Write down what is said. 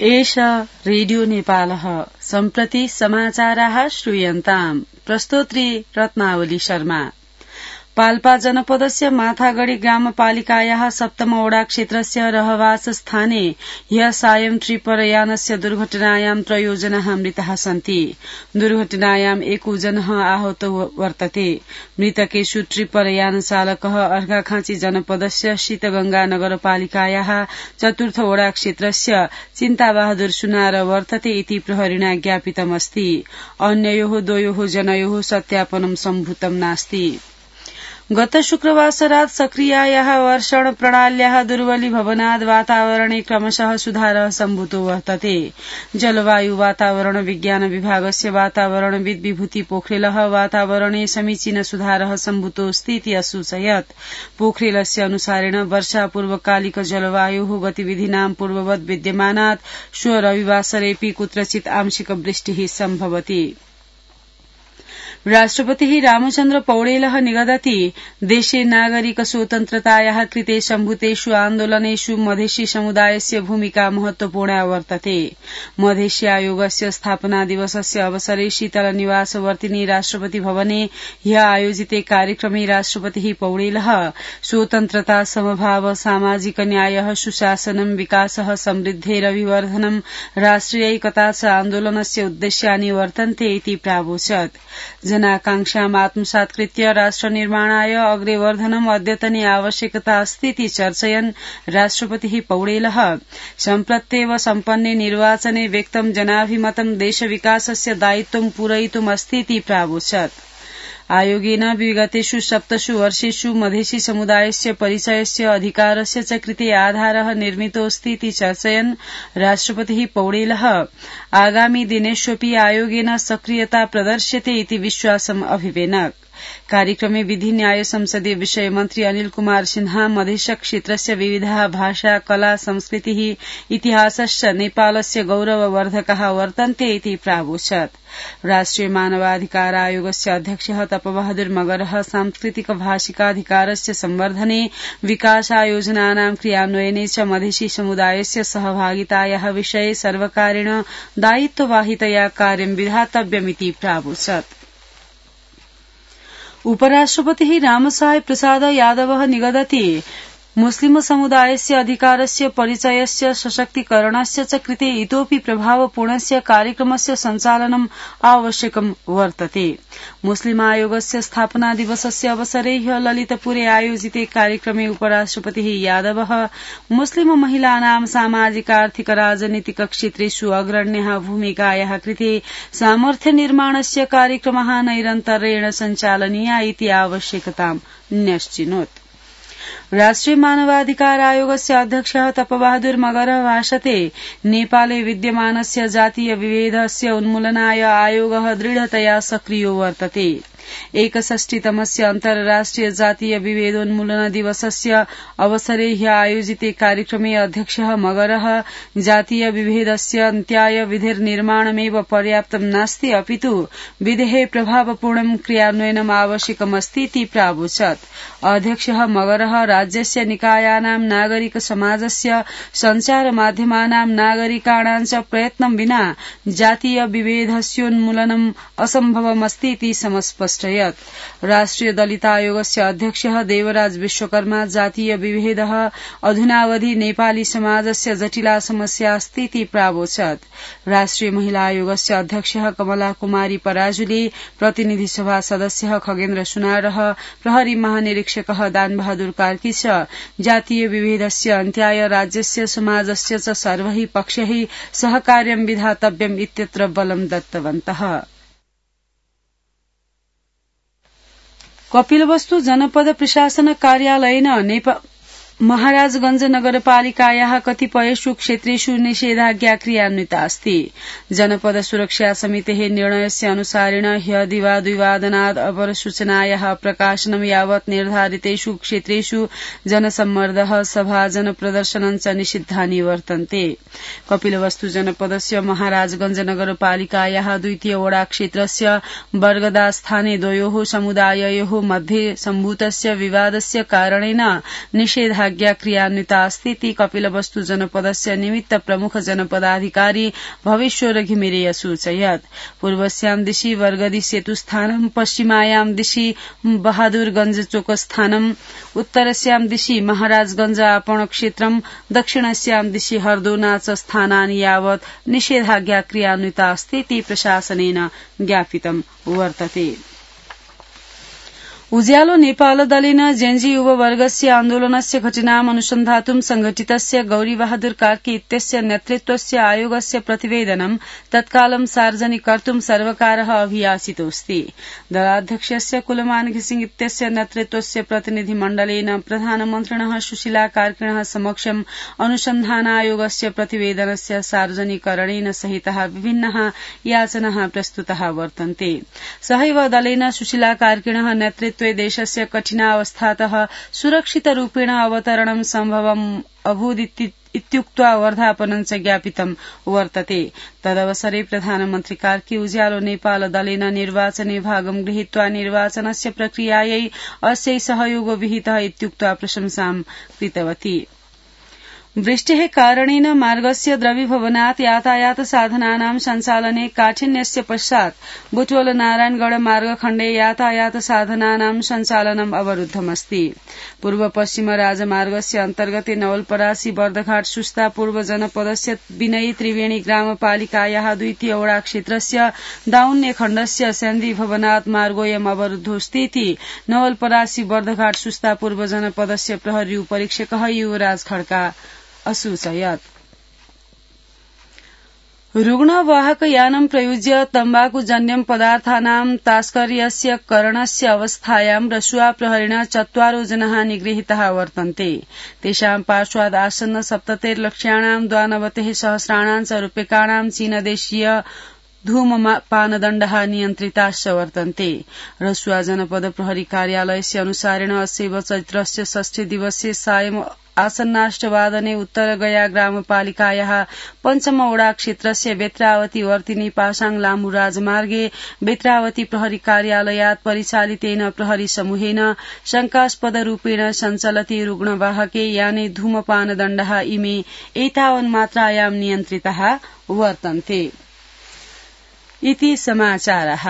एष रेडियो नेपालः सम्प्रति समाचाराः श्रूयन्ताम् प्रस्तोत्री रत्नावली शर्मा। पाल्पा जनपदस्य माथागढ़ी ग्रामपालिकायाः सप्तम वडा क्षेत्रस्य रहवास स्थाने ह्यः सायं ट्रिपरयानस्य दुर्घटनायां 3 जनाः मृताः सन्ति। दुर्घटनायां 1 जनः आहतो वर्तते। मृतकेषु ट्रिपरयान चालकः अर्घाखाँची जनपदस्य शीतगंगा नगरपालिकायाः 4th वडा क्षेत्रस्य चिन्ताबहादुर सुनार वर्तते इति प्रहरिणा ज्ञापितमस्ति। अन्ययोः 2 जनयोः सत्यापनं सम्भूतं नास्ति। गत शुक्रवासरात् सक्रियायाः वर्षण प्रणाल्याः दुर्बलीभवनात् वातावरणे क्रमशः सुधारः सम्भूतो वर्तते। जलवायु वातावरण विज्ञान विभागस्य वातावरणविद् विभूति पोखरेलः वातावरणे समीचीन सुधारः सम्भूतोऽस्ति इति असूचयत्। पोखरेलस्य अनुसारेण वर्षापूर्वकालिक जलवायोः गतिविधीनां पूर्ववत् विद्यमानात् श्व रविवासरेऽपि कुत्रचित् आंशिक वृष्टिः सम्भवति। राष्ट्रपतिः रामचन्द्र पौडेलः निगदति देशे नागरिक स्वतन्त्रतायाः कृते सम्भूतेषु आन्दोलनेषु मधेसी समुदायस्य भूमिका महत्वपूर्णा वर्तते। मधेसी आयोगस्य स्थापना दिवसस्य अवसरे शीतल निवासवर्तिनी राष्ट्रपति भवने ह्यः आयोजिते कार्यक्रमे राष्ट्रपतिः पौडेलः स्वतन्त्रता समभाव सामाजिक न्यायः सुशासनं विकासः समृद्धेरभिवर्धनं राष्ट्रियैकता च आन्दोलनस्य उद्देश्यानि वर्तन्ते इति प्रावोचत्। जनाकांक्षाम् आत्मसात् कृत्य राष्ट्र निर्माणाय अग्रे वर्धनम् अद्यतने आवश्यकता अस्ति इति चर्चयन् राष्ट्रपतिः पौडेलः सम्प्रत्येव सम्पन्ने निर्वाचने व्यक्तं जनाभिमतं देशविकासस्य दायित्वं पूरयितुम् अस्ति इति प्रावोचत्। आयोगेन विगतेषु 7 वर्षेषु मधेसी समुदायस्य परिचयस्य अधिकारस्य च कृते आधारः निर्मितोऽस्ति इति चर्चयन् राष्ट्रपतिः पौडेलः आगामी दिनेष्वपि आयोगेन सक्रियता प्रदर्श्यते इति विश्वासम् अभिवेनक्। कार्यक्रमे विधि न्याय संसदीय विषय मन्त्री अनिल कुमार सिन्हा मधेश क्षेत्रस्य विविधाः भाषा कला संस्कृतिः इतिहासश्च नेपालस्य गौरववर्धकाः वर्तन्ते इति प्रावोचत्। राष्ट्रिय मानवाधिकार आयोगस्य अध्यक्षः तपबहादुर मगरः सांस्कृतिक भाषिकाधिकारस्य संवर्धने विकासायोजनानां क्रियान्वयने च मधेसी समुदायस्य सहभागितायाः विषये सर्वकारेण दायित्ववाहितया कार्यं विधातव्यमिति प्रावोचत्। उपराष्ट्रपतिः रामसहाय प्रसाद यादवः निगदति मुस्लिम समुदायस्य अधिकारस्य परिचयस्य सशक्तीकरणस्य च कृते इतोपि प्रभावपूर्णस्य कार्यक्रमस्य सञ्चालनम् आवश्यकं वर्तते। मुस्लिम आयोगस्य स्थापना दिवसस्य अवसरे ह्यः ललितपुरे आयोजिते कार्यक्रमे उपराष्ट्रपतिः यादवः मुस्लिम महिलानां सामाजिक आर्थिक राजनीतिक क्षेत्रेषु अग्रण्यः भूमिकायाः कृते सामर्थ्य निर्माणस्य कार्यक्रमः नैरन्तर्येण सञ्चालनीया इति आवश्यकतां न्यश्चिनोत्। राष्ट्रिय मानवाधिकार आयोगस्य अध्यक्षः तपबहादुर मगरः भाषते नेपाले विद्यमानस्य जातीय विभेदस्य उन्मूलनाय आयोगः दृढतया सक्रियो वर्तते। 61तमस्य अन्तर्राष्ट्रिय जातीय विभेदोन्मूलन दिवसस्य अवसरे ह्यः आयोजिते कार्यक्रमे अध्यक्षः मगरः जातीय विभेदस्य अन्त्याय विधिर्निर्माणमेव पर्याप्तं नास्ति अपितु विधेः प्रभावपूर्णं क्रियान्वयनम् आवश्यकमस्ति इति प्रावोचत्। अध्यक्षः मगरः राज्यस्य निकायानां नागरिक समाजस्य सञ्चार माध्यमानां नागरिकाणां च प्रयत्नं विना जातीय विभेदस्योन्मूलनम् असम्भवमस्ति इति समस्पष्टयत्। राष्ट्रिय दलित आयोगस्य अध्यक्षः देवराज विश्वकर्मा जातीय विभेदः अधुनावधि नेपाली समाजस्य जटिला समस्या अस्ति इति प्रावोचत्। राष्ट्रिय महिला आयोगस्य अध्यक्षः कमला कुमारी पराजुले प्रतिनिधि सभा सदस्यः खगेन्द्र सुनारः प्रहरी महानिरीक्षकः दानबहादुर कार्की च जातीय विभेदस्य अन्त्याय राज्यस्य समाजस्य च सर्वैः पक्षैः सहकार्यं विधातव्यम् इत्यत्र बलं दत्तवन्तः। कपिलवस्तु जनपद प्रशासन कार्यालयेन महाराजगंज नगरपालिकायाः कतिपयेषु क्षेत्रेषु निषेधाज्ञा क्रियान्विता अस्ति। जनपद सुरक्षा समितेः निर्णयस्य अनुसारेण ह्यः दिवाद्विवादनात् अपरसूचनायाः प्रकाशनं यावत् निर्धारितेषु क्षेत्रेषु जनसम्मर्दः सभा जनप्रदर्शनं च निषिद्धानि वर्तन्ते। कपिलवस्तु जनपदस्य महाराजगंज नगरपालिकायाः 2 वडा क्षेत्रस्य बर्गदा स्थाने 2 समुदाययोः मध्ये सम्भूतस्य विवादस्य कारणेन निषेधाज्ञा निषेधाज्ञा क्रियान्विता अस्ति इति कपिलवस्तु जनपदस्य निमित्त प्रमुख जनपदाधिकारी भवेश्वर घिमिरे असूचयत्। पूर्वस्यां दिशि वर्गदी सेतुस्थानं, पश्चिमायां दिशि बहादुरगंज चोकस्थानं, उत्तरस्यां दिशि महाराजगंज आपण क्षेत्रं, दक्षिणस्यां दिशि हर्दोनाच स्थानानि यावत् निषेधाज्ञा क्रियान्विता अस्ति इति प्रशासनेन ज्ञापितं वर्तते। उज्यालो नेपाल दलेन जेन्जी युववर्गस्य आन्दोलनस्य घटनाम् अनुसन्धातुं संघटितस्य गौरीबहादुर कार्की इत्यस्य नेतृत्वस्य आयोगस्य प्रतिवेदनं तत्कालं सार्वजनिक कर्तुं सर्वकारः अभियाचितोऽस्ति। दलाध्यक्षस्य कुलमान घिसिङ इत्यस्य नेतृत्वस्य प्रतिनिधिमण्डलेन प्रधानमन्त्रिणः सुशीला कार्किणः समक्षम् अनुसन्धानायोगस्य प्रतिवेदनस्य सार्वजनिकरणेन सहितः विभिन्नाः याचनाः प्रस्तुताः वर्तन्ते। सहैव दलेन सुशीला कार्किणः नेतृत्वे देशस्य कठिनावस्थातः सुरक्षितरूपेण अवतरणं सम्भवम् अभूदिति इत्युक्त्वा वर्धापनं च ज्ञापितं वर्तते। तदवसरे प्रधानमन्त्री कार्की उज्यालो नेपाल दलेन निर्वाचने भागं गृहीत्वा निर्वाचनस्य प्रक्रियायै अस्यै सहयोगो विहितः इत्युक्त्वा प्रशंसां कृतवती। वृष्टेः कारणेन मार्गस्य द्रवीभवनात् यातायात साधनानां सञ्चालने काठिन्यस्य पश्चात् बुटवल नारायणगढ़ मार्गखण्डे यातायात साधनानां सञ्चालनम् अवरुद्धमस्ति। पूर्व पश्चिम राजमार्गस्य अन्तर्गते नवलपरासी बर्दघाट सुस्ता पूर्व जनपदस्य विनयी त्रिवेणी ग्रामपालिकायाः द्वितीय वडा क्षेत्रस्य दाउन्ने खण्डस्य सेन्दी भवनात् मार्गोऽयम् अवरुद्धोऽस्ति इति नवलपरासी बर्दघाट सुस्ता पूर्व जनपदस्य प्रहरी उपरीक्षकः युवराज खड्का असूचयत्। रुग्णवाहक यानं प्रयुज्य तम्बाकूजन्यं पदार्थानां तास्कर्यस्य करणस्य अवस्थायां रसुआ प्रहरिणा 4 जनाः निगृहीताः वर्तन्ते। तेषां पार्श्वात् आसन्न 70 लक्ष्याणां 92 सहस्राणां च रूप्यकाणां चीनदेशीय धूमपानदण्डः नियन्त्रिताश्च वर्तन्ते। रसुआ जनपद प्रहरी कार्यालयस्य अनुसारेण अस्यैव चैत्रस्य 6 दिवसे सायं आसन्नाष्टवादने उत्तर गया ग्रामपालिकायाः पञ्चम वडा क्षेत्रस्य बेत्रावती वर्तिनी पासाङ लामू राजमार्गे बेत्रावती प्रहरी कार्यालयात् परिचालितेन प्रहरी समूहेन शंकास्पद रूपेण सञ्चलति रुग्णवाहके याने धूमपानदण्डः इमे एतावन् मात्रायां नियन्त्रिताः वर्तन्ते। इति समाचारः।